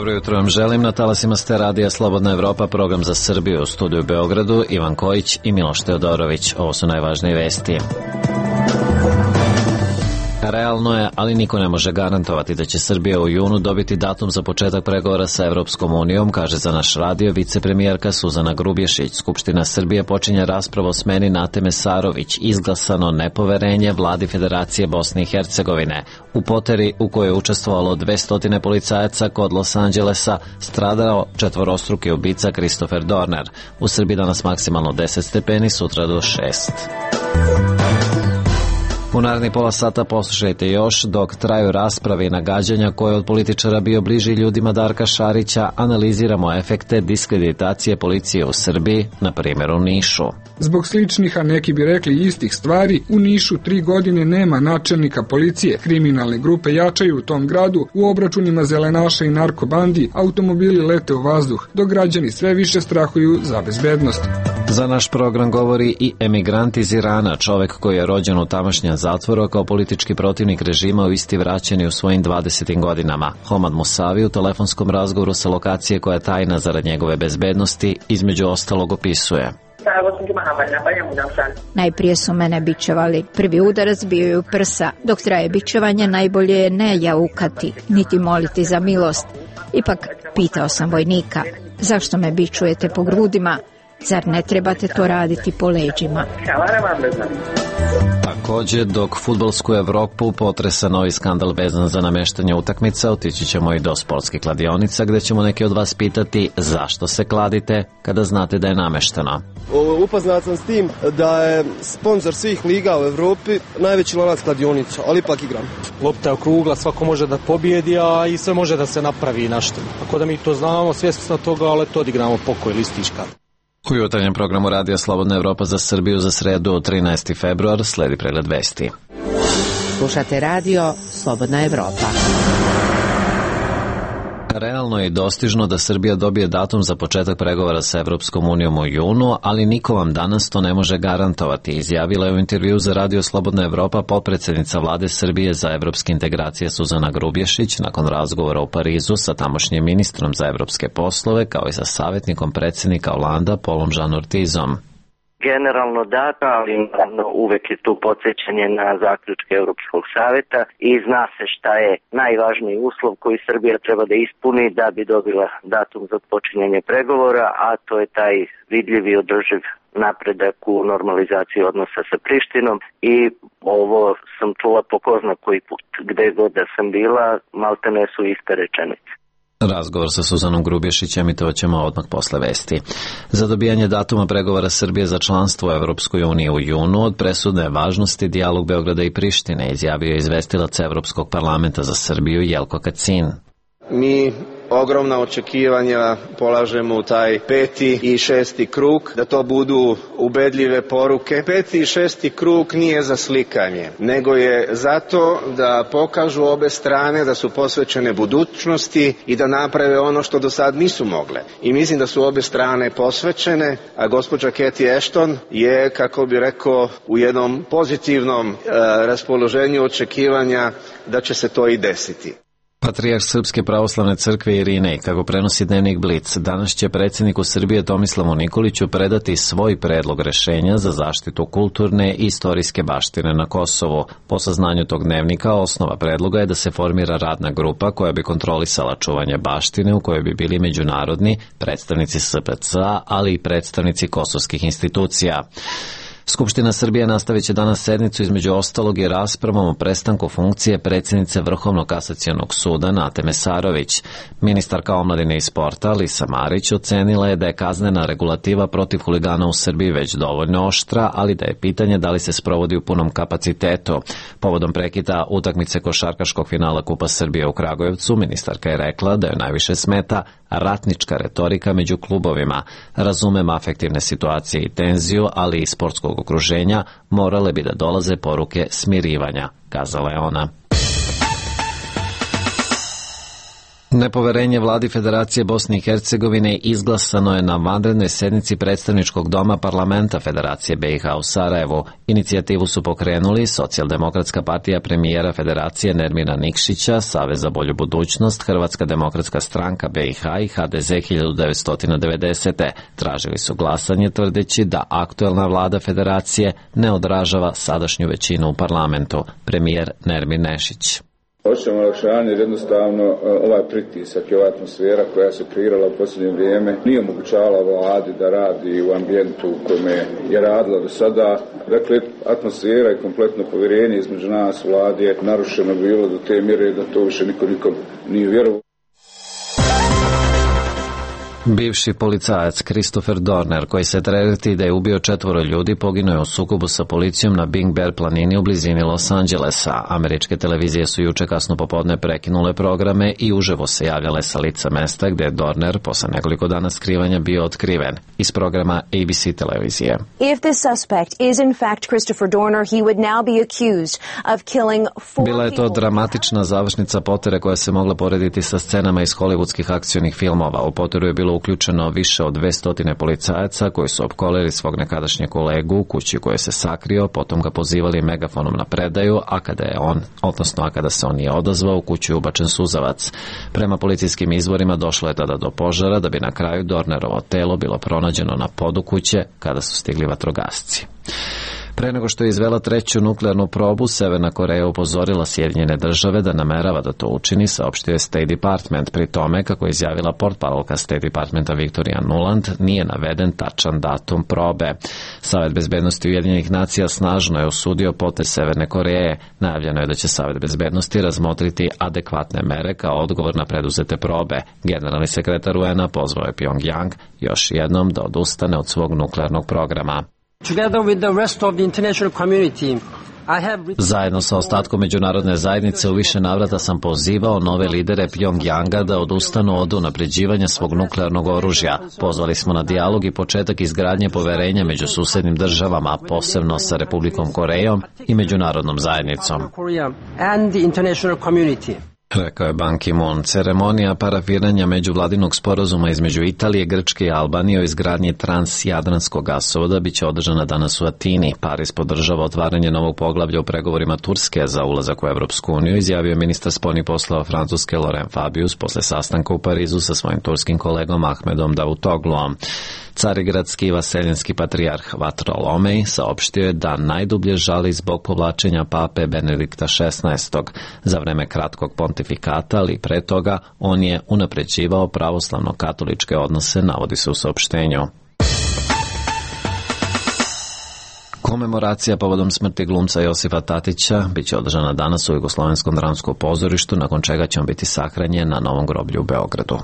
Dobro jutro vam želim. Na talasima ste radija Slobodna Evropa, program za Srbiju, u studiju u Beogradu, Ivan Kojić i Miloš Teodorović. Ovo su najvažnije vesti. Realno je, ali niko ne može garantovati da će Srbija u junu dobiti datum za početak pregovora sa Evropskom unijom, kaže za naš radio vicepremijerka Suzana Grubješić. Skupština Srbije počinje raspravu o smeni Nate Mesarović, izglasano nepoverenje vladi Federacije Bosne i Hercegovine. U poteri u kojoj je učestvovalo 200 policajaca kod Los Angelesa stradao četvorostruki ubica Christopher Dorner. U Srbiji danas maksimalno 10 stepeni, sutra do 6. U narednih pola sata poslušajte još dok traju rasprave i nagađanja koje od političara bio bliži ljudima Darka Šarića, analiziramo efekte diskreditacije policije u Srbiji, na primjer u Nišu. Zbog sličnih, a neki bi rekli istih stvari, u Nišu 3 godine nema načelnika policije. Kriminalne grupe jačaju u tom gradu, u obračunima zelenaša i narkobandi automobili lete u vazduh, dok građani sve više strahuju za bezbednost. Za naš program govori i emigrant iz Irana, čovek koji je rođen u tamošnjem zatvoru, kao politički protivnik režima u isti vraćeni u svojim 20. godinama. Homad Musavi u telefonskom razgovoru sa lokacije koja je tajna zarad njegove bezbednosti, između ostalog opisuje. Najprije su mene bičevali. Prvi udarac bio je u prsa. Dok traje bičevanje, najbolje je ne jaukati, niti moliti za milost. Ipak, pitao sam vojnika, zašto me bičujete po grudima? Zar ne trebate to raditi po leđima? Također, dok fudbalsku Evropu potresa novi skandal vezan za nameštanje utakmica, otići ćemo i do sportskih kladionica, gde ćemo neki od vas pitati zašto se kladite kada znate da je namešteno. Upoznat sam s tim da je sponsor svih liga u Evropi najveći lanac kladionica, ali ipak igram. Lopta je okrugla, svako može da pobjedi, a i sve može da se napravi nešto. Tako da mi to znamo, svjesni smo toga, ali to odigramo pokoj listička. U jutarnjem programu Radija Slobodna Evropa za Srbiju za sredu 13. februar sledi pregled vesti. Slušate radio Slobodna Evropa. Realno je i dostižno da Srbija dobije datum za početak pregovora sa Evropskom unijom u junu, ali niko vam danas to ne može garantovati, izjavila je u intervju za Radio Slobodna Evropa potpredsjednica vlade Srbije za evropske integracije Suzana Grubješić nakon razgovora u Parizu sa tamošnjim ministrom za evropske poslove kao i sa savjetnikom predsjednika Olanda Paulom Jean Ortizom. Generalno data, ali uvek je tu podsjećanje na zaključke Europskog savjeta i zna se šta je najvažniji uslov koji Srbija treba da ispuni da bi dobila datum za počinjanje pregovora, a to je taj vidljivi održiv napredak u normalizaciji odnosa sa Prištinom i ovo sam čula po ko zna koji put. Gde god da sam bila, maltene su iste rečenice. Razgovor sa Suzanom Grubješićem emitovat ćemo odmah posle vesti. Za dobijanje datuma pregovora Srbije za članstvo u Evropskoj uniji u junu od presudne važnosti dijalog Beograda i Prištine, izjavio je izvestilac Evropskog parlamenta za Srbiju Jelko Kacin. Mi ogromna očekivanja polažemo u taj 5. i 6. krug, da to budu ubedljive poruke. 5. i 6. krug nije za slikanje, nego je zato da pokažu obe strane da su posvećene budućnosti i da naprave ono što do sad nisu mogle. I mislim da su obe strane posvećene, a gospođa Cathy Ashton je, kako bi rekao, u jednom pozitivnom raspoloženju očekivanja da će se to i desiti. Patrijarh Srpske pravoslavne crkve Irinej, kako prenosi dnevnik Blic, danas će predsjedniku Srbije Tomislavu Nikoliću predati svoj predlog rešenja za zaštitu kulturne i istorijske baštine na Kosovu. Po saznanju tog dnevnika, osnova predloga je da se formira radna grupa koja bi kontrolisala čuvanje baštine u kojoj bi bili međunarodni predstavnici SPC, ali i predstavnici kosovskih institucija. Skupština Srbije nastavit će danas sednicu između ostalog i raspravom o prestanku funkcije predsjednice Vrhovnog kasacionog suda Nate Mesarović. Ministarka omladine i sporta Lisa Marić ocenila je da je kaznena regulativa protiv huligana u Srbiji već dovoljno oštra, ali da je pitanje da li se sprovodi u punom kapacitetu. Povodom prekida utakmice košarkaškog finala Kupa Srbije u Kragujevcu, ministarka je rekla da joj najviše smeta ratnička retorika među klubovima. Razumem afektivne situacije i tenziju, ali i sportskog okruženja morale bi da dolaze poruke smirivanja, kazala je ona. Nepoverenje vladi Federacije Bosne i Hercegovine izglasano je na vanrednoj sednici predstavničkog doma parlamenta Federacije BiH u Sarajevu. Inicijativu su pokrenuli Socijaldemokratska partija premijera Federacije Nermina Nikšića, Savez za bolju budućnost, Hrvatska demokratska stranka BiH i HDZ 1990. Tražili su glasanje tvrdeći da aktuelna vlada Federacije ne odražava sadašnju većinu u parlamentu. Premijer Nermin Nešić. Hoćemo olakšanje jer jednostavno ovaj pritisak i ova atmosfera koja se kreirala u posljednje vrijeme nije omogućavala vladi da radi u ambijentu u kome je radila do sada. Dakle, atmosfera i kompletno povjerenje između nas vladi je narušeno bilo do te mjere da to više nikom nije vjerovao. Bivši policajac Christopher Dorner, koji se tereti da je ubio 4 ljudi, poginuo je u sukobu sa policijom na Big Bear planini u blizini Los Angelesa. Američke televizije su juče kasno popodne prekinule programe i uživo se javljale sa lica mesta gde je Dorner posle nekoliko dana skrivanja bio otkriven. Iz programa ABC televizije. If this suspect is in fact Christopher Dorner, he would now be accused of killing 4 Bila je to dramatična završnica potere koja se mogla porediti sa scenama iz hollywoodskih akcionih filmova. U poteru je bilo uključeno više od 200 policajaca koji su opkolili svog nekadašnjeg kolegu u kući u kojoj se sakrio, potom ga pozivali megafonom na predaju, a kada se on nije odazvao, u kuću je ubačen suzavac. Prema policijskim izvorima došlo je tada do požara, da bi na kraju Dornerovo telo bilo pronađeno na podu kuće kada su stigli vatrogasci. Pre nego što je izvela 3. nuklearnu probu, Severna Koreja upozorila Sjedinjene države da namerava da to učini, saopštio je State Department. Pri tome, kako je izjavila portparolka State Departmenta Victoria Nuland, nije naveden tačan datum probe. Savet bezbednosti Ujedinjenih nacija snažno je osudio potez Severne Koreje. Najavljeno je da će Savet bezbednosti razmotriti adekvatne mere kao odgovor na preduzete probe. Generalni sekretar UN-a pozvao je Pyongyang još jednom da odustane od svog nuklearnog programa. Zajedno sa ostatkom međunarodne zajednice u više navrata sam pozivao nove lidere Pyongyanga da odustanu od unapređivanja svog nuklearnog oružja. Pozvali smo na dijalog i početak izgradnje poverenja među susednim državama, posebno sa Republikom Korejom i međunarodnom zajednicom. Rekao je Ban Ki-moon. Ceremonija parafiranja međuvladinog sporazuma između Italije, Grčke i Albanije o izgradnji transjadranskog gasovoda biće održana danas u Atini. Pariz podržava otvaranje novog poglavlja u pregovorima Turske za ulazak u Evropsku uniju, izjavio ministar spoljnih poslova Francuske Laurent Fabius posle sastanka u Parizu sa svojim turskim kolegom Ahmedom Davutogluom. Carigradski i vaseljenski patrijarh Vartolomej saopštio je da najdublje žali zbog povlačenja pape Benedikta XVI. Za vreme kratkog pontifikata, ali pre toga on je unapređivao pravoslavno-katoličke odnose, navodi se u saopštenju. Komemoracija povodom smrti glumca Josipa Tatića biće održana danas u Jugoslovenskom dramskom pozorištu, nakon čega će on biti sahranjen na novom groblju u Beogradu.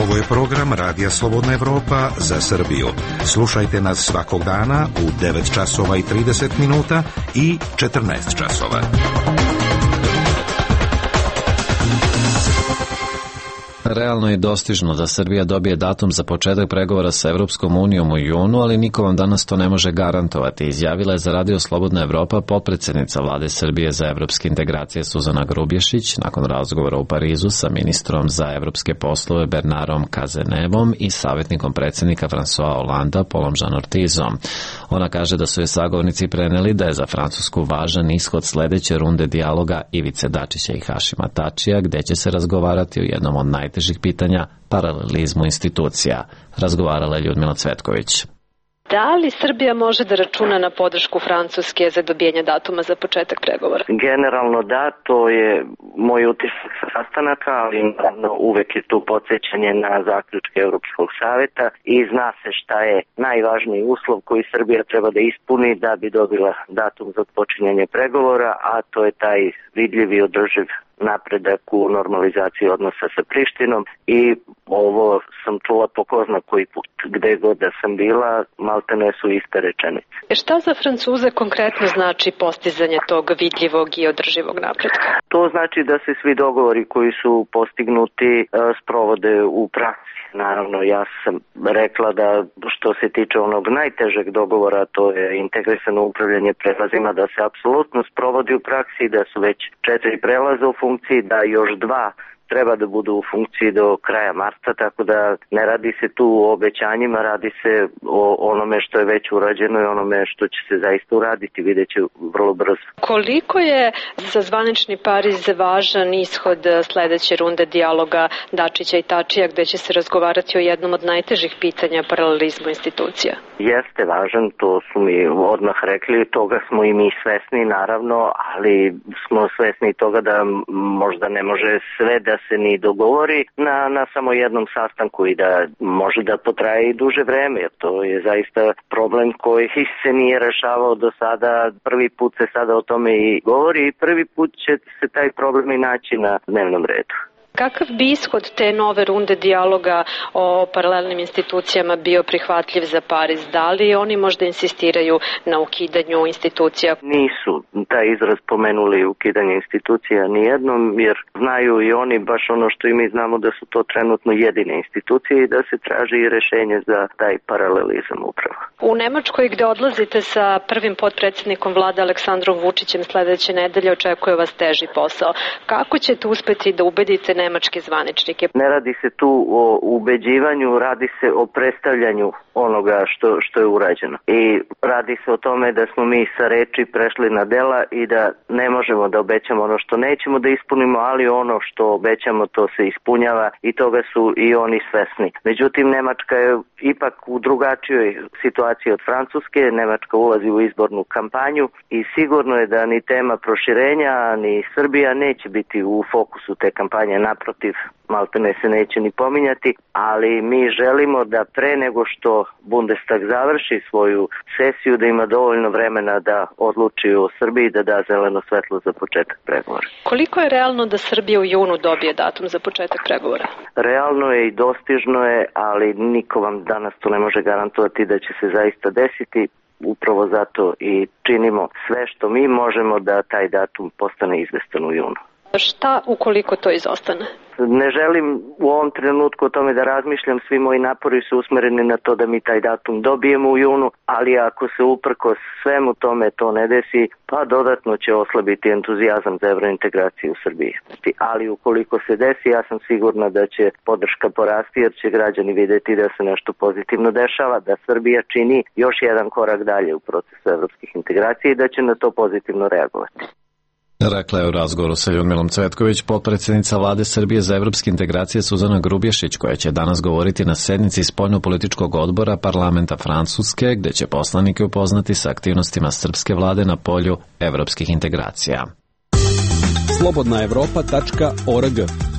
Ovo je program Radija Slobodna Evropa za Srbiju. Slušajte nas svakog dana u 9 časova i 30 minuta i 14 časova. Realno je dostižno da Srbija dobije datum za početak pregovora sa Evropskom unijom u junu, ali niko vam danas to ne može garantovati, izjavila je za Radio Slobodna Evropa potpredsednica vlade Srbije za evropske integracije Suzana Grubješić nakon razgovora u Parizu sa ministrom za evropske poslove Bernardom Cazenevom i savjetnikom predsjednika François Hollanda Paulom Jean Ortizom. Ona kaže da su je sagovornici preneli da je za Francusku važan ishod sledeće runde dijaloga Ivice Dačića i Hašima Tačija, gde će se razgovarati o jednom od najtežih pitanja, paralelizmu institucija. Razgovarala je Ljudmila Cvetković. Da li Srbija može da računa na podršku Francuske za dobijanje datuma za početak pregovora? Generalno da, to je moj utisak sa sastanaka, ali uvek je tu podsjećanje na zaključke Europskog saveta i zna se šta je najvažniji uslov koji Srbija treba da ispuni da bi dobila datum za počinjanje pregovora, a to je taj vidljiv i održiv napredak u normalizaciji odnosa sa Prištinom i ovo sam čula po ko zna koji put. Gde god da sam bila, maltene su iste rečenice. Šta za Francuze konkretno znači postizanje tog vidljivog i održivog napretka? To znači da se svi dogovori koji su postignuti sprovode u praksi. Naravno, ja sam rekla da što se tiče onog najtežeg dogovora, to je integrisano upravljanje prelazima, da se apsolutno sprovodi u praksi, da su već 4 prelaza u funkciji, da još 2 treba da budu u funkciji do kraja marta, tako da ne radi se tu o obećanjima, radi se o onome što je već urađeno i onome što će se zaista uraditi, vidjet će vrlo brzo. Koliko je za zvanični Pariz važan ishod sledeće runde dijaloga Dačića i Tačija, gde će se razgovarati o jednom od najtežih pitanja paralelizmu institucija? Jeste važan, to su mi odmah rekli, toga smo i mi svesni naravno, ali smo svesni toga da možda ne može sve da se ni dogovori na samo jednom sastanku i da može da potraje i duže vreme, jer to je zaista problem koji se nije rešavao do sada. Prvi put se sada o tome i govori i prvi put će se taj problem i naći na dnevnom redu. Kakav bi ishod te nove runde dijaloga o paralelnim institucijama bio prihvatljiv za Pariz? Da li oni možda insistiraju na ukidanju institucija? Nisu taj izraz pomenuli ukidanje institucija nijednom, jer znaju i oni baš ono što i mi znamo, da su to trenutno jedine institucije i da se traži i rešenje za taj paralelizam upravo. U Nemačkoj, gde odlazite sa prvim potpredsjednikom vlade Aleksandrom Vučićem sledeće nedelje, očekuje vas teži posao. Kako ćete uspeti da ubedite nemačke zvaničnike? Ne radi se tu o ubeđivanju, radi se o predstavljanju onoga što je urađeno. I radi se o tome da smo mi sa reči prešli na dela i da ne možemo da obećamo ono što nećemo da ispunimo, ali ono što obećamo to se ispunjava i toga su i oni svesni. Međutim, Nemačka je ipak u drugačijoj situaciji od Francuske. Nemačka ulazi u izbornu kampanju i sigurno je da ni tema proširenja, ni Srbija neće biti u fokusu te kampanje. Naprotiv, maltene se neće ni pominjati, ali mi želimo da pre nego što Bundestag završi svoju sesiju, da ima dovoljno vremena da odluči o Srbiji, da da zeleno svetlo za početak pregovora. Koliko je realno da Srbija u junu dobije datum za početak pregovora? Realno je i dostižno je, ali niko vam danas to ne može garantovati da će se zaista desiti. Upravo zato i činimo sve što mi možemo da taj datum postane izvestan u junu. Šta ukoliko to izostane? Ne želim u ovom trenutku o tome da razmišljam, svi moji napori su usmereni na to da mi taj datum dobijemo u junu, ali ako se uprkos svemu tome to ne desi, pa dodatno će oslabiti entuzijazam za evrointegraciju u Srbiji. Ali ukoliko se desi, ja sam sigurna da će podrška porasti, jer će građani videti da se nešto pozitivno dešava, da Srbija čini još jedan korak dalje u procesu evropskih integracija i da će na to pozitivno reagovati. Rekla je u razgovoru sa Ljudmilom Cvetković potpredsjednica vlade Srbije za evropske integracije Suzana Grubješić, koja će danas govoriti na sednici spoljnopolitičkog odbora parlamenta Francuske, gde će poslanike upoznati sa aktivnostima srpske vlade na polju evropskih integracija. slobodnaevropa.org.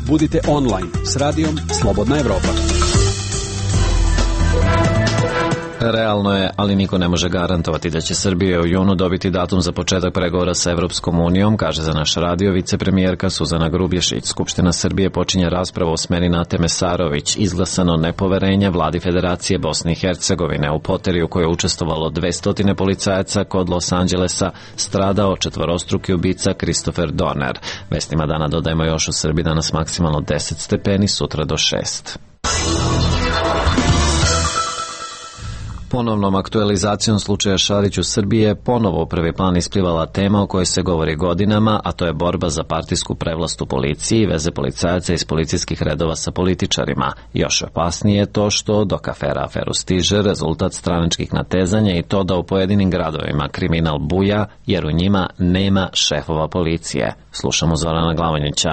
Budite online s radijom Slobodna Evropa. Realno je, ali niko ne može garantovati da će Srbija u junu dobiti datum za početak pregovora sa Evropskom unijom, kaže za naš radio vicepremijerka Suzana Grubješić. Skupština Srbije počinje raspravu o smeni Nate Mesarović, izglasano nepoverenje vladi Federacije Bosne i Hercegovine. U poteri u kojoj je učestvovalo 200 policajaca kod Los Angelesa stradao četvorostruki ubica Christopher Dorner. Vestima dana dodajemo još u Srbiji danas maksimalno 10 stepeni, sutra do 6. Ponovnom aktualizacijom slučaja Šarić u Srbiji je ponovo u prvi plan isplivala tema o kojoj se govori godinama, a to je borba za partijsku prevlast u policiji i veze policajaca iz policijskih redova sa političarima. Još opasnije je to što dok afera aferu stiže, rezultat stranačkih natezanja i to da u pojedinim gradovima kriminal buja, jer u njima nema šefova policije. Slušamo Zorana Glavonjića.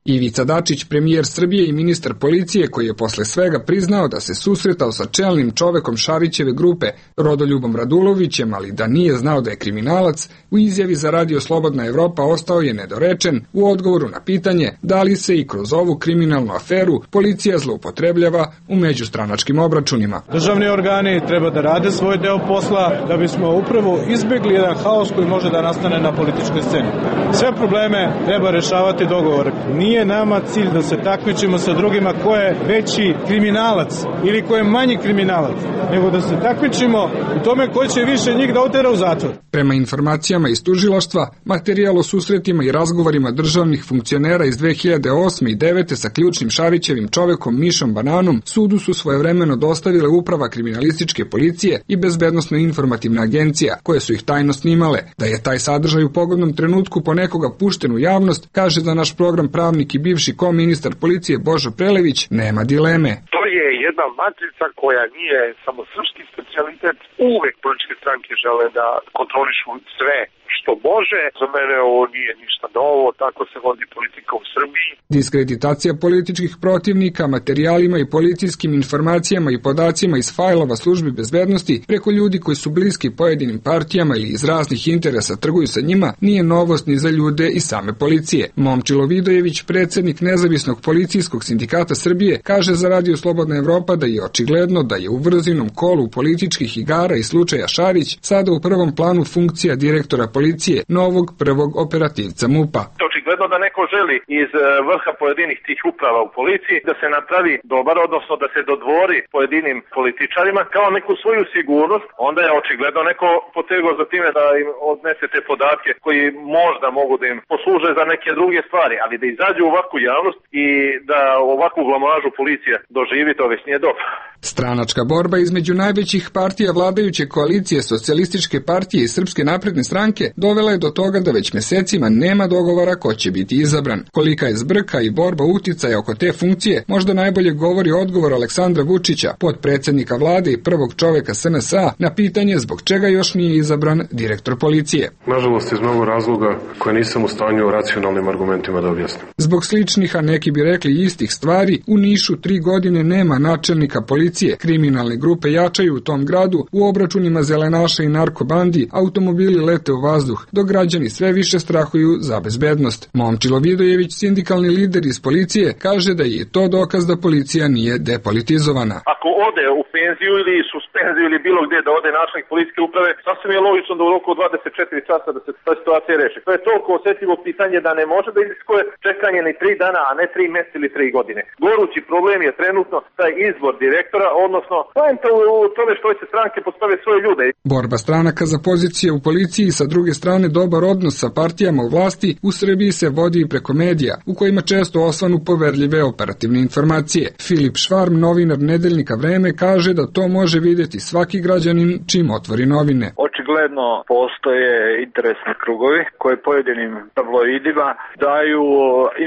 Ivica Dačić, premijer Srbije i ministar policije, koji je posle svega priznao da se susretao sa čelnim čovekom Šarićeve grupe, Rodoljubom Radulovićem, ali da nije znao da je kriminalac, u izjavi za radio Slobodna Evropa ostao je nedorečen u odgovoru na pitanje da li se i kroz ovu kriminalnu aferu policija zloupotrebljava u međustranačkim obračunima. Državni organi treba da rade svoj deo posla da bismo upravo izbegli jedan haos koji može da nastane na političkoj sceni. Sve probleme treba rešavati dogovor. Nije nije nama cilj da se takmičimo sa drugima ko je veći kriminalac ili ko je manji kriminalac, nego da se takmičimo u tome ko će više njih da otera u zatvor. Prema informacijama iz tužilaštva, materijal o susretima i razgovorima državnih funkcionera iz 2008. i 2009. sa ključnim Šarićevim čovekom Mišom Bananom sudu su svojevremeno dostavile Uprava kriminalističke policije i Bezbednosno-informativna agencija, koje su ih tajno snimale. Da je taj sadržaj u pogodnom trenutku po nekoga pušten u javnost, kaže za naš program pravnik i bivši koministar policije Božo Prelević, nema dileme. To je jedna matrica koja nije samo srpski specijalitet. Uvek političke stranke žele da kontrolišu sve što može. Za mene ovo nije ništa novo, tako se vodi politika u Srbiji. Diskreditacija političkih protivnika materijalima i policijskim informacijama i podacima iz fajlova službi bezbednosti preko ljudi koji su bliski pojedinim partijama ili iz raznih interesa trguju sa njima nije novost ni za ljude i same policije. Momčilo Vidojević, predsednik Nezavisnog policijskog sindikata Srbije, kaže za Radio Slobodna Evropa da je očigledno da je u vrzinom kolu političkih igara i slučaja Šarić sada u prvom planu funkcija direktora policije, novog prvog operativca MUP-a. Očigledno da neko želi iz vrha pojedinih tih uprava u policiji da se napravi dobar, odnosno da se dodvori pojedinim političarima kao neku svoju sigurnost, onda je očigledno neko potegao za time da im odnese te podatke koji možda mogu da im posluže za neke druge stvari, ali da izađu u ovakvu javnost i da ovakvu blamažu policija doživi, to već nije dobro. Stranačka borba između najvećih partija vladajuće koalicije Socijalističke partije i Srpske napredne stranke dovela je do toga da već mesecima nema dogovora ko će biti izabran. Kolika je zbrka i borba uticaja oko te funkcije, možda najbolje govori odgovor Aleksandra Vučića, potpredsednika vlade i prvog čoveka SNS-a, na pitanje zbog čega još nije izabran direktor policije. Nažalost, iz mnogo razloga koje nisam u stanju racionalnim argumentima da objasnim. Zbog sličnih, a neki bi rekli istih stvari, u Nišu 3 godine nema načelnika policije. Kriminalne grupe jačaju u tom gradu, u obračunima zelenaša i narkobandi automobili lete u vazduh, dok građani sve više strahuju za bezbednost. Momčilo Vidojević, sindikalni lider iz policije, kaže da je to dokaz da policija nije depolitizovana. Ako ode u penziju ili suspenziju ili bilo gdje da ode načelnik policijske uprave, sasvim je logično da u roku 24 časa da se ta situacija reši. To je toliko osjetljivo pitanje da ne može da iziskuje čekanje ni 3 dana, a ne 3 mjeseca ili 3 godine. Gorući problem je trenutno taj izbor direktora, odnosno poenta u tome što će stranke postave svoje ljude. Borba stranaka za pozicije u policiji i sa druge strane dobar odnos sa partijama u vlasti u Srbiji se vodi i preko medija, u kojima često osvanu poverljive operativne informacije. Filip Švarm, novinar nedeljnika Vreme, kaže da to može vidjeti svaki građanin čim otvori novine. Očigledno postoje interesni krugovi koji pojedinim tabloidima daju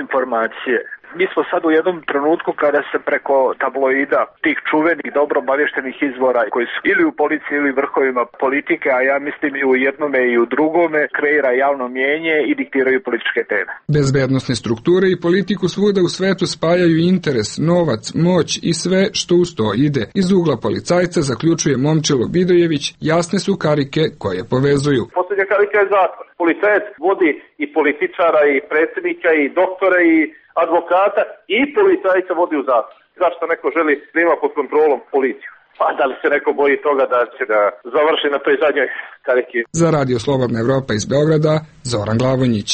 informacije. Mi smo sad u jednom trenutku kada se preko tabloida, tih čuvenih, dobro obavještenih izvora koji su ili u policiji ili vrhovima politike, a ja mislim i u jednome i u drugome, kreira javno mnijenje i diktiraju političke teme. Bezbednosne strukture i politiku svuda u svetu spajaju interes, novac, moć i sve što uz to ide. Iz ugla policajca, zaključuje Momčilo Vidojević, jasne su karike koje povezuju. Posljednja karika je zatvor. Policajac vodi i političara i predsjednika i doktora i advokata i policajca vodi u zatvor. Zašto neko želi da ima pod kontrolom policiju? Pa da li se neko boji toga da će da završi na toj zadnjoj kariki? Za Radio Slobodna Evropa iz Beograda, Zoran Glavonjić.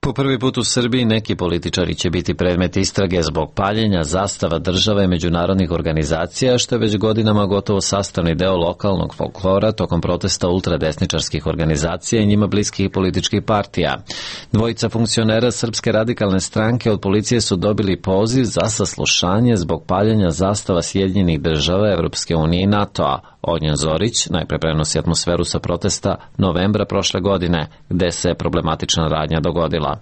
Po prvi put u Srbiji neki političari će biti predmet istrage zbog paljenja zastava države i međunarodnih organizacija, što je već godinama gotovo sastavni deo lokalnog folklora tokom protesta ultradesničarskih organizacija i njima bliskih političkih partija. Dvojica funkcionera Srpske radikalne stranke od policije su dobili poziv za saslušanje zbog paljenja zastava Sjedinjenih država, Evropske unije i NATO-a. Ognjen Zorić najpre prenosi atmosferu sa protesta novembra prošle godine, gde se problematična radnja dogodila.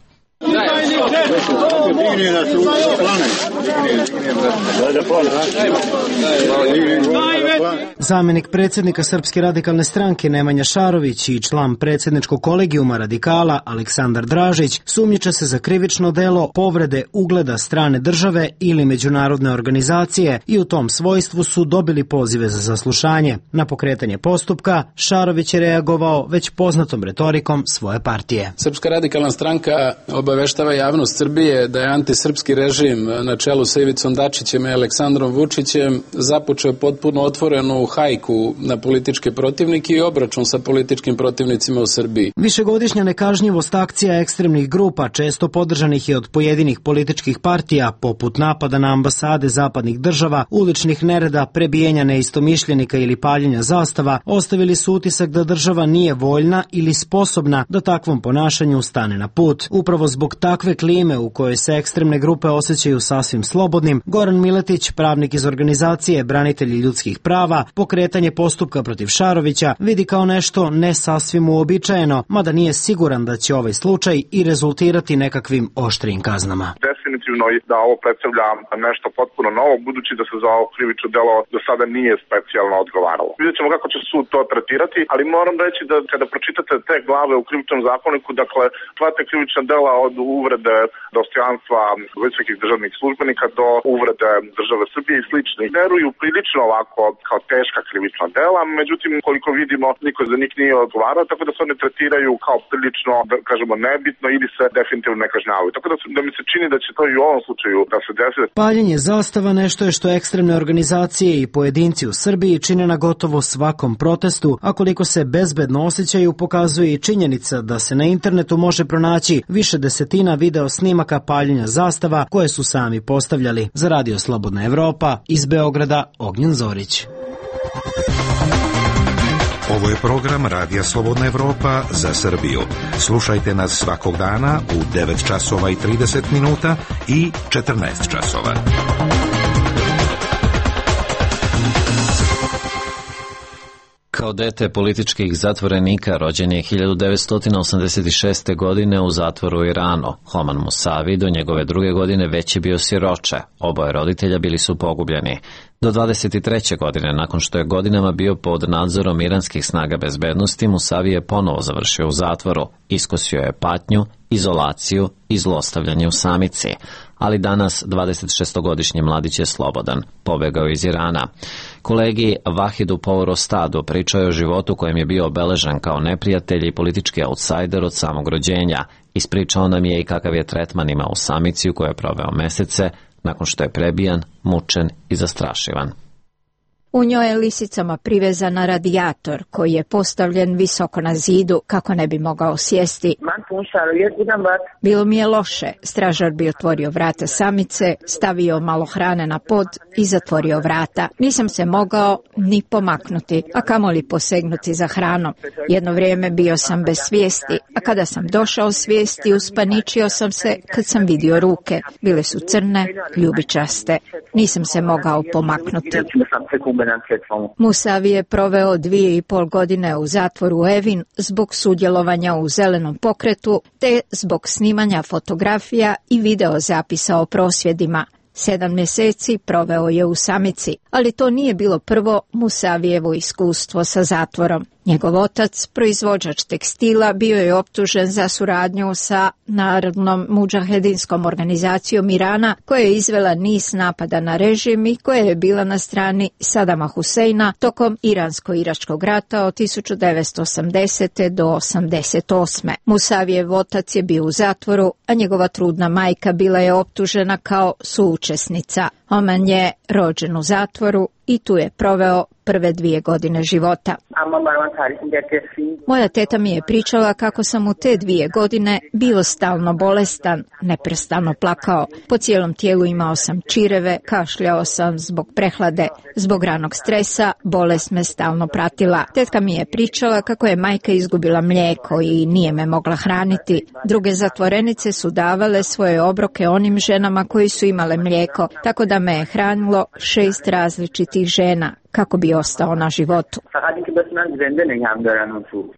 Zamenik predsjednika Srpske radikalne stranke Nemanja Šarović i član predsjedničkog kolegijuma radikala Aleksandar Dražić sumnjiče se za krivično delo povrede ugleda strane države ili međunarodne organizacije i u tom svojstvu su dobili pozive za saslušanje. Na pokretanje postupka Šarović je reagovao već poznatom retorikom svoje partije. Srpska radikalna stranka obaveštava javnost Srbije da je antisrpski režim na čelu sa Ivicom Dačićem i Aleksandrom Vučićem započeo potpuno otvorenu otvorenu hajku na političke protivnike i obračun sa političkim protivnicima u Srbiji. Višegodišnja nekažnjivost akcija ekstremnih grupa, često podržanih i od pojedinih političkih partija, poput napada na ambasade zapadnih država, uličnih nereda, prebijenja neistomišljenika ili paljenja zastava, ostavili su utisak da država nije voljna ili sposobna da takvom ponašanju stane na put. Upravo zbog takve klime u kojoj se ekstremne grupe osjećaju sasvim slobodnim, Goran Miletić, pravnik iz organizacije Branitelji ljudskih prava, pokretanje postupka protiv Šarovića vidi kao nešto ne sasvim uobičajeno, mada nije siguran da će ovaj slučaj i rezultirati nekakvim oštrijim kaznama. Definitivno da ovo predstavlja nešto potpuno novo, budući da se za ovo krivično delo do sada nije specijalno odgovaralo. Vidjet ćemo kako će sud to tretirati, ali moram reći da kada pročitate te glave u krivičnom zakoniku, dakle, sva te krivična dela od uvrede dostojanstva visokih državnih službenika do uvrede države Srbije i sličnih veruju prilično ovako kao teška krivična dela, međutim, koliko vidimo, niko za njih nije odgovarao, tako da se one tretiraju kao prilično, da kažemo, nebitno ili se definitivno ne kažnjavaju. Tako da mi se čini da će to i u ovom slučaju da se desi. Paljenje zastava nešto je što ekstremne organizacije i pojedinci u Srbiji čine na gotovo svakom protestu, a koliko se bezbedno osjećaju pokazuje i činjenica da se na internetu može pronaći više desetina video snimaka paljenja zastava koje su sami postavljali. Za Radio Slobodna Evropa, iz Beograda, Ognjen Zorić. Ovo je program Radija Slobodna Evropa za Srbiju. Slušajte nas svakog dana u 9 časova i 30 minuta i 14 časova. Kao dete političkih zatvorenika rođen je 1986. godine u zatvoru u Iranu. Homan Musavi do njegove druge godine već je bio siroče. Oboje roditelja bili su pogubljeni. Do 23. godine, nakon što je godinama bio pod nadzorom iranskih snaga bezbednosti, Musavi je ponovo završio u zatvoru. Iskosio je patnju, izolaciju i zlostavljanje u samici. Ali danas 26-godišnji mladić je slobodan. Pobegao iz Irana. Kolegi Vahidu Pourostadu pričao je o životu kojem je bio obeležen kao neprijatelj i politički outsider od samog rođenja. Ispričao nam je i kakav je tretman imao u samici u kojoj je proveo mesece, nakon što je prebijan, mučen i zastrašivan. U njoj je lisicama privezan radijator koji je postavljen visoko na zidu kako ne bi mogao sjesti. Bilo mi je loše. Stražar bi otvorio vrata samice, stavio malo hrane na pod i zatvorio vrata. Nisam se mogao ni pomaknuti, a kamoli posegnuti za hranom. Jedno vrijeme bio sam bez svijesti, a kada sam došao svijesti, uspaničio sam se kad sam vidio ruke. Bile su crne, ljubičaste. Nisam se mogao pomaknuti. Musavi je proveo 2,5 godine u zatvoru Evin zbog sudjelovanja u zelenom pokretu te zbog snimanja fotografija i video zapisa o prosvjedima. 7 mjeseci proveo je u samici, ali to nije bilo prvo Musavijevo iskustvo sa zatvorom. Njegov otac, proizvođač tekstila, bio je optužen za suradnju sa Narodnom mudžahedinskom organizacijom Irana, koja je izvela niz napada na režim i koja je bila na strani Sadama Huseina tokom Iransko-iračkog rata od 1980. do 1988. Musavijev otac je bio u zatvoru, a njegova trudna majka bila je optužena kao suučesnica. Oman je rođen u zatvoru i tu je proveo prve 2 godine života. Moja teta mi je pričala kako sam u te 2 godine bio stalno bolestan, neprestano plakao. Po cijelom tijelu imao sam čireve, kašljao sam zbog prehlade. Zbog ranog stresa bolest me stalno pratila. Tetka mi je pričala kako je majka izgubila mlijeko i nije me mogla hraniti. Druge zatvorenice su davale svoje obroke onim ženama koji su imale mlijeko, tako da me je hranilo 6 različitih žena kako bi ostao na životu.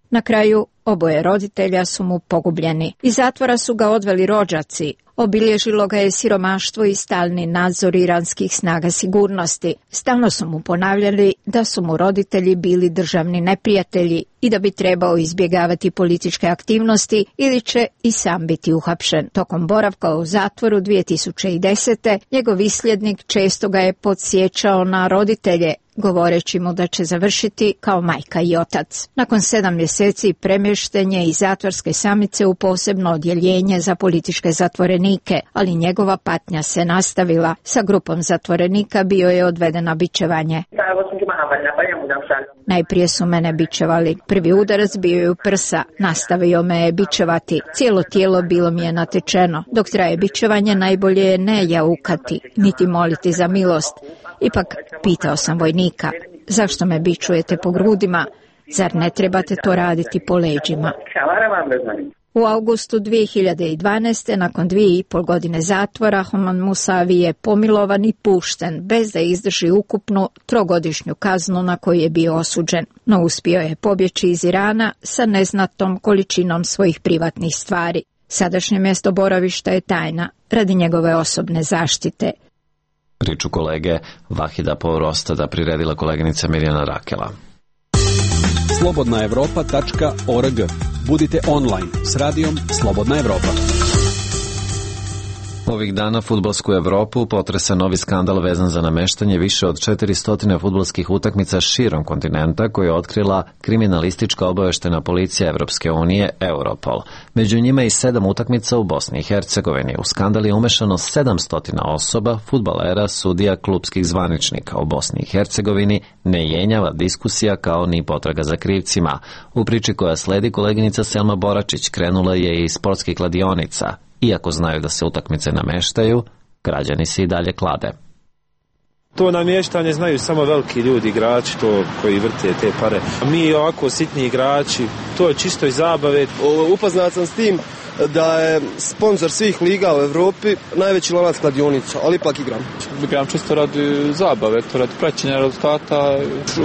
Na kraju oboje roditelja su mu pogubljeni. Iz zatvora su ga odveli rođaci. Obilježilo ga je siromaštvo i stalni nadzor iranskih snaga sigurnosti. Stalno su mu ponavljali da su mu roditelji bili državni neprijatelji i da bi trebao izbjegavati političke aktivnosti ili će i sam biti uhapšen. Tokom boravka u zatvoru 2010. njegov isljednik često ga je podsjećao na roditelje govoreći mu da će završiti kao majka i otac. Nakon 7 mjeseci premješten je iz zatvorske samice u posebno odjeljenje za političke zatvorenike, ali njegova patnja se nastavila. Sa grupom zatvorenika bio je odveden na bičevanje. Najprije su mene bičevali. Prvi udarac bio je u prsa. Nastavio me je bičevati. Cijelo tijelo bilo mi je natečeno. Dok traje bičevanje, najbolje je ne jaukati, niti moliti za milost. Ipak pitao sam vojnika, zašto me bičujete po grudima? Zar ne trebate to raditi po leđima? U augustu 2012. nakon 2,5 godine zatvora, Homan Musavi je pomilovan i pušten, bez da izdrži ukupnu 3-godišnju kaznu na koju je bio osuđen. No uspio je pobjeći iz Irana sa neznatnom količinom svojih privatnih stvari. Sadašnje mjesto boravišta je tajna radi njegove osobne zaštite. Priču kolege Vahida Povrostada priredila koleginica Mirjana Rakela. Slobodnaevropa.org. Budite online s radijom Slobodna Evropa. Ovih dana fudbalsku Evropu potresa novi skandal vezan za nameštanje više od 400 fudbalskih utakmica širom kontinenta koje je otkrila kriminalistička obaveštena policija Evropske unije Europol. Među njima i 7 utakmica u Bosni i Hercegovini. U skandal je umešano 700 osoba, fudbalera, sudija, klupskih zvaničnika. U Bosni i Hercegovini ne jenjava diskusija kao ni potraga za krivcima. U priči koja sledi, koleginica Selma Boračić krenula je iz sportskih kladionica. Iako znaju da se utakmice nameštaju, građani se i dalje klade. To namještanje znaju samo veliki ljudi, igrači, to koji vrte te pare. Mi ovako sitni igrači, to je čisto iz zabave. Upoznat sam s tim da je sponsor svih liga u Evropi najveći lanac kladionica, ali ipak igram. Igram čisto radi zabave, to radi praćenja rezultata.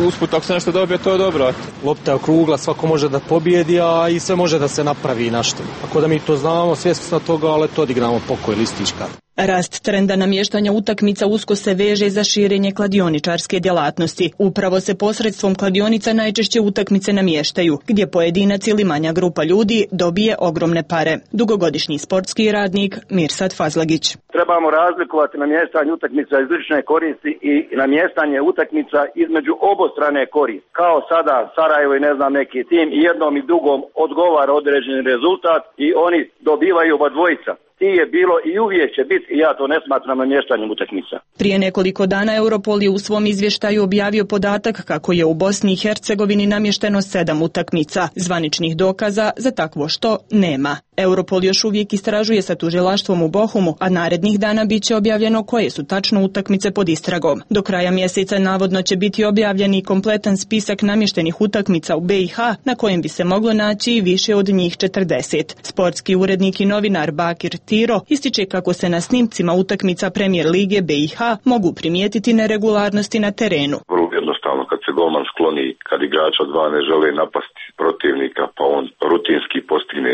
Usput ako se nešto dobije, to je dobro. Lopta je okrugla, svako može da pobijedi, a i sve može da se napravi nešto. Ako da mi to znamo, svjesni smo toga, ali to odigramo pokoj listička. Rast trenda namještanja utakmica usko se veže za širenje kladioničarske djelatnosti. Upravo se posredstvom kladionica najčešće utakmice namještaju, gdje pojedinac ili manja grupa ljudi dobije ogromne pare. Dugogodišnji sportski radnik Mirsad Fazlagić. Trebamo razlikovati namještanje utakmica iz lične koristi i namještanje utakmica između obostrane koristi. Kao sada Sarajevo i ne znam neki tim i jednom i drugom odgovara određeni rezultat i oni dobivaju oba dvojica. Ti je bilo i uvijek će biti i ja to ne smatram namještanjem utakmica. Prije nekoliko dana Europol je u svom izvještaju objavio podatak kako je u Bosni i Hercegovini namješteno 7 utakmica. Zvaničnih dokaza za takvo što nema. Europol još uvijek istražuje sa tužilaštvom u Bohumu, a narednih dana bit će objavljeno koje su tačno utakmice pod istragom. Do kraja mjeseca navodno će biti objavljen i kompletan spisak namještenih utakmica u BiH, na kojem bi se moglo naći i više od njih 40. Sportski urednik i novinar Bakir Tiro ističe kako se na snimcima utakmica Premijer Lige BiH mogu primijetiti neregularnosti na terenu. Vrlo jednostavno, kad se golman skloni, kad igrač od dva ne žele napasti protivnika, pa on rutinski postigne,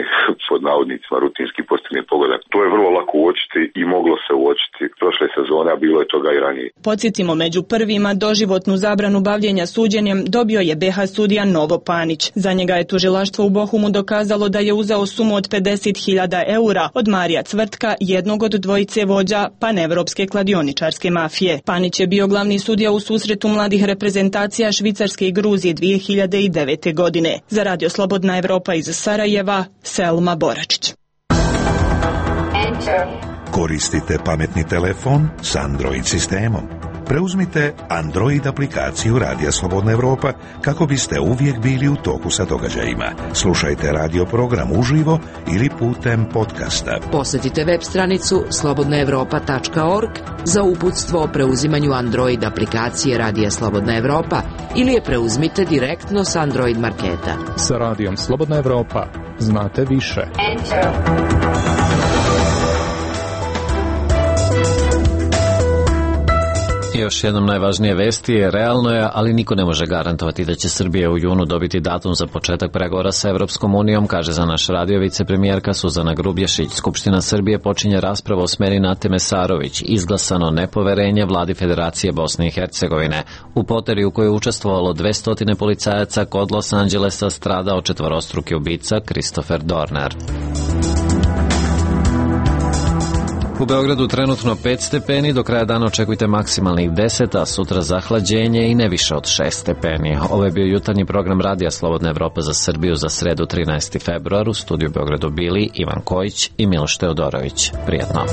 pod navodnicima, rutinski postigne pogodak. To je vrlo lako uočiti i moglo se uočiti prošle sezone, a bilo je toga i ranije. Podsjetimo, među prvima doživotnu zabranu bavljenja suđenjem dobio je BiH sudija Novo Panić. Za njega je tužilaštvo u Bohumu dokazalo da je uzeo sumu od 50.000 eura od Marija Cvrtka, jednog od dvojice vođa panevropske kladioničarske mafije. Panić je bio glavni sudija u susretu mladih reprezentacija Švicarske i Gruzije 2009. godine. Za Radio Slobodna Evropa iz Sarajeva, Selma Boračić. Koristite pametni telefon s Android sistemom. Preuzmite Android aplikaciju Radija Slobodna Evropa kako biste uvijek bili u toku sa događajima. Slušajte radio program uživo ili putem podcasta. Posjetite web stranicu slobodnaevropa.org za uputstvo o preuzimanju Android aplikacije Radija Slobodna Evropa ili je preuzmite direktno s Android marketa. Sa Radijom Slobodna Evropa znate više. Još jednom najvažnije vesti je realno je, ali niko ne može garantovati da će Srbija u junu dobiti datum za početak pregovora sa Evropskom unijom, kaže za naš radio vicepremijerka Suzana Grubješić. Skupština Srbije počinje raspravu o smjeni Nate Mesarović, izglasano nepoverenje vladi Federacije Bosne i Hercegovine. U poteri u kojoj je učestvovalo 200 policajaca kod Los Angelesa stradao četvorostruki ubica Christopher Dorner. U Beogradu trenutno 5 stepeni, do kraja dana očekujte maksimalnih 10, a sutra zahlađenje i ne više od 6 stepeni. Ovo je bio jutarnji program Radija Slobodna Evropa za Srbiju za sredu 13. februar. U studiju Beogradu bili Ivan Kojić i Miloš Teodorović. Prijatno.